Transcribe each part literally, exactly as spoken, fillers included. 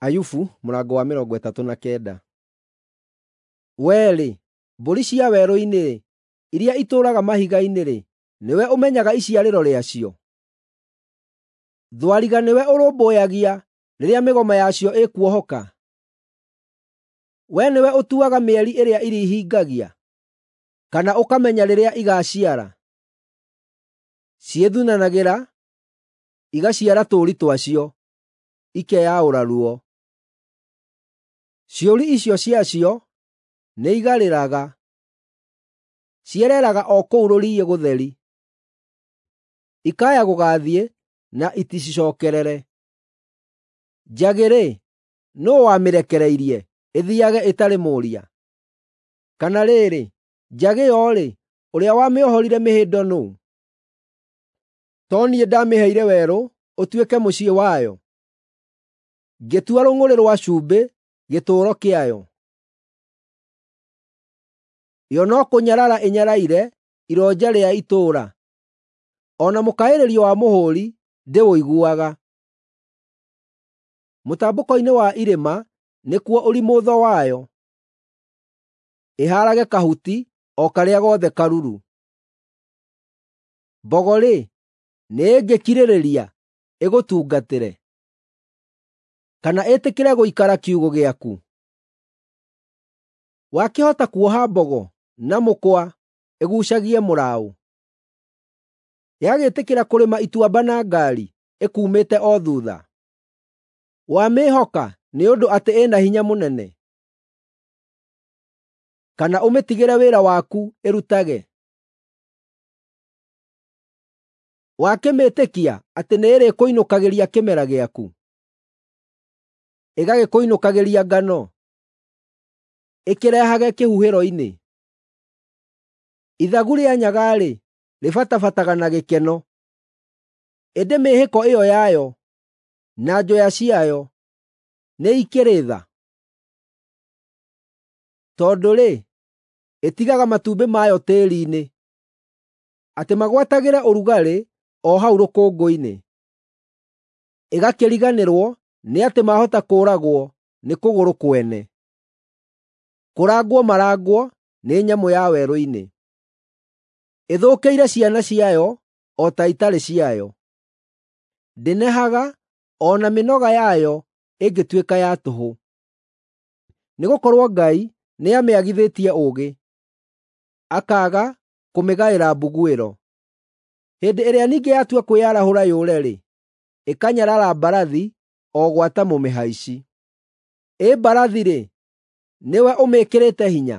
Ayubu mũrango wa mĩrongo ĩtatũ na kenda. Wee-rĩ, mbũri cia werũ-inĩ, iria itũũraga mahiga-inĩ-rĩ, nĩwe ũmenyaga iciarĩro rĩacio? Thwariga nĩwe ũrũmbũyagia rĩrĩa mĩgoma yacio ĩkuohoka? Wee nĩwe ũtuaga mĩeri ĩrĩa irĩhingagia, kana ũkamenya rĩrĩa igaaciara? Ciĩthunanagĩra, igaciara tũũri twacio, ikeyaũra ruo. Ciũri icio ciacio nĩigarĩraga; ciereeraga o kũu rũriĩ gũtheri, ikaya gũgaathiĩ na iticicookerere. Njagĩ-rĩ, nũũ wamĩrekereirie ĩthiiage ĩtarĩ mũũria? Kana rĩrĩ, njagĩ yo-rĩ, ũrĩa wamĩohorire mĩhĩndo nũũ? To niĩ ndamĩheire werũ ũtuĩke mũciĩ wayo, ngĩtua rũng'ũrĩ rwa cumbĩ gĩtũũro kĩayo? Yo no kũnyarara ĩnyaraire ironja rĩa itũũra, o na mũkaĩrĩrio wa mũhũũri ndĩũiguaga. Mũtambũko-inĩ wa irĩma nĩkuo ũrimũtho wayo, ĩhaarage kahuti o karĩa gothe karuru. Mbogo-rĩ, nĩĩngĩkirĩrĩria ĩgũtungatĩre, kana ĩtĩkĩre gũikara kiugũ gĩaku? Wakĩhota kuoha mbogo na mũkwa ĩguucagie mũraũ? Yagĩtĩkĩra kũrĩma ituamba na ngaari ĩkuumĩte o thuutha? Wamĩĩhoka nĩ ũndũ atĩ ĩna hinya mũnene, kana ũmĩtigĩre wĩra waku ĩrutage? Wakĩmĩĩtĩkia atĩ nĩĩrĩkũinũkagĩria kĩmera gĩaku, ĩgagĩkũinũkagĩria ngano, ĩkĩrehage kĩhuhĩro-inĩ? Ithagu rĩa nyaga-rĩ, rĩbatabataga na gĩkeno, ĩndĩ mĩĩhĩko ĩyo yayo na njoya ciayo nĩikĩrĩ tha? Tondũ-rĩ, ĩtigaga matumbĩ mayo tĩĩri-inĩ, atĩ magwatagĩre ũrugarĩ o hau rũkũngũ-inĩ, ĩgakĩriganĩrwo nĩ atĩ maahota kũũragwo nĩ kũgũrũ kwene, kũrangwo marangwo nĩ nyamũ ya werũ-inĩ. Ĩthũkĩire ciana ciayo o ta itarĩ ciayo; ndĩnehaga o na mĩnoga yayo ĩngĩtuĩka ya tũhũ. Nĩgũkorwo Ngai nĩamĩagithĩtie ũũgĩ, akaaga kũmĩgaĩra mbuguĩro. Hĩndĩ ĩrĩa ningĩ yatua kwĩyarahũra yũre-rĩ, ĩkanyarara mbarathi o gwata mũmĩhaici. Ĩ mbarathi-rĩ, nĩwe ũmĩĩkĩrĩte hinya?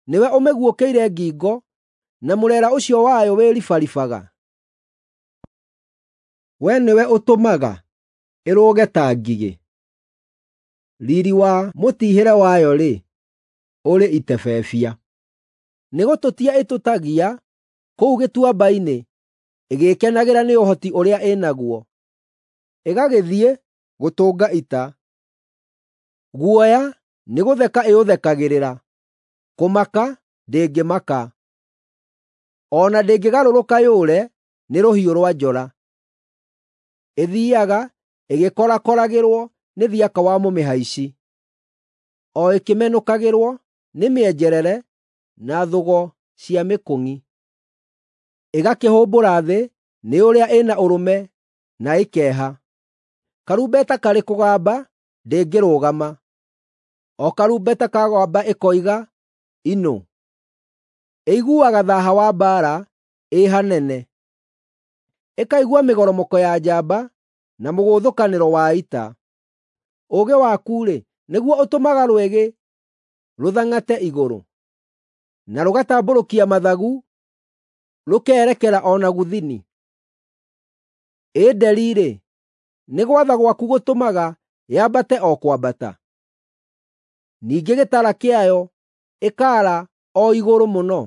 Nĩwe ũmĩguũkĩire ngingo na mũreera ũcio wayo wĩribaribaga? Wee nĩwe ũtũmaga ĩrũge ta ngigĩ? Riiri wa mũtiihĩre wayo-rĩ, ũrĩ itebebia. Nĩgũtũtia ĩtũtagia kũu gĩtuamba-inĩ ĩgĩĩkenagĩra nĩ ũhoti ũrĩa ĩ naguo, ĩgagĩthiĩ gũtũnga ita. Guoya nĩgũtheka ĩũthekagĩrĩra, kũmaka ndĩngĩmaka. O na ndĩngĩgarũrũka yũre nĩ rũhiũ rwa njora. Ĩthiiaga ĩgĩkorakoragĩrwo nĩ thiaka wa mũmĩhaici, o ĩkĩmenũkagĩrwo nĩ mĩenjerere na thũgo cia mĩkũng'i. Ĩgakĩhũmbũra thĩ nĩ ũrĩa ĩna ũrũme na ĩkeeha. Karumbeta karĩ kũgamba ndĩngĩrũgama, o karumbeta kagamba ĩkoiga, “Inũ!” Ĩiguaga thaaha wa mbaara ĩ hanene, ĩkaigua mĩgoromoko ya njamba na mũgũthũkanĩro wa ita. Ũũgĩ waku-rĩ, nĩguo ũtũmaga rwĩgĩ rũthang'ate igũrũ, na rũgatambũrũkia mathagu rũkerekera o na gũthini? Ĩ nderi-rĩ, nĩ gwatha gwaku gũtũmaga yambate o kwambata? Ningĩ gĩtara kĩayo ĩkaara o igũrũ mũno?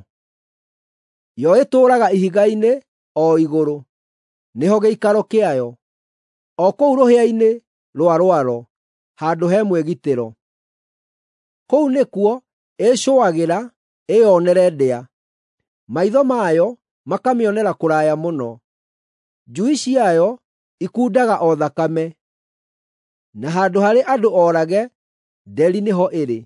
Yo ĩtũũraga ihiga-inĩ o igũrũ, nĩho gĩikaro kĩayo, o kũu rũhĩa-inĩ rwa rwaro, handũ he mwĩgitĩro. Kũu nĩkuo ĩĩcũagĩra ĩyonere ndĩa, maitho mayo makamĩonera kũraya mũno. Njui ciayo ikundaga o thakame. na handũ harĩ andũ oorage, nderi nĩho ĩrĩ.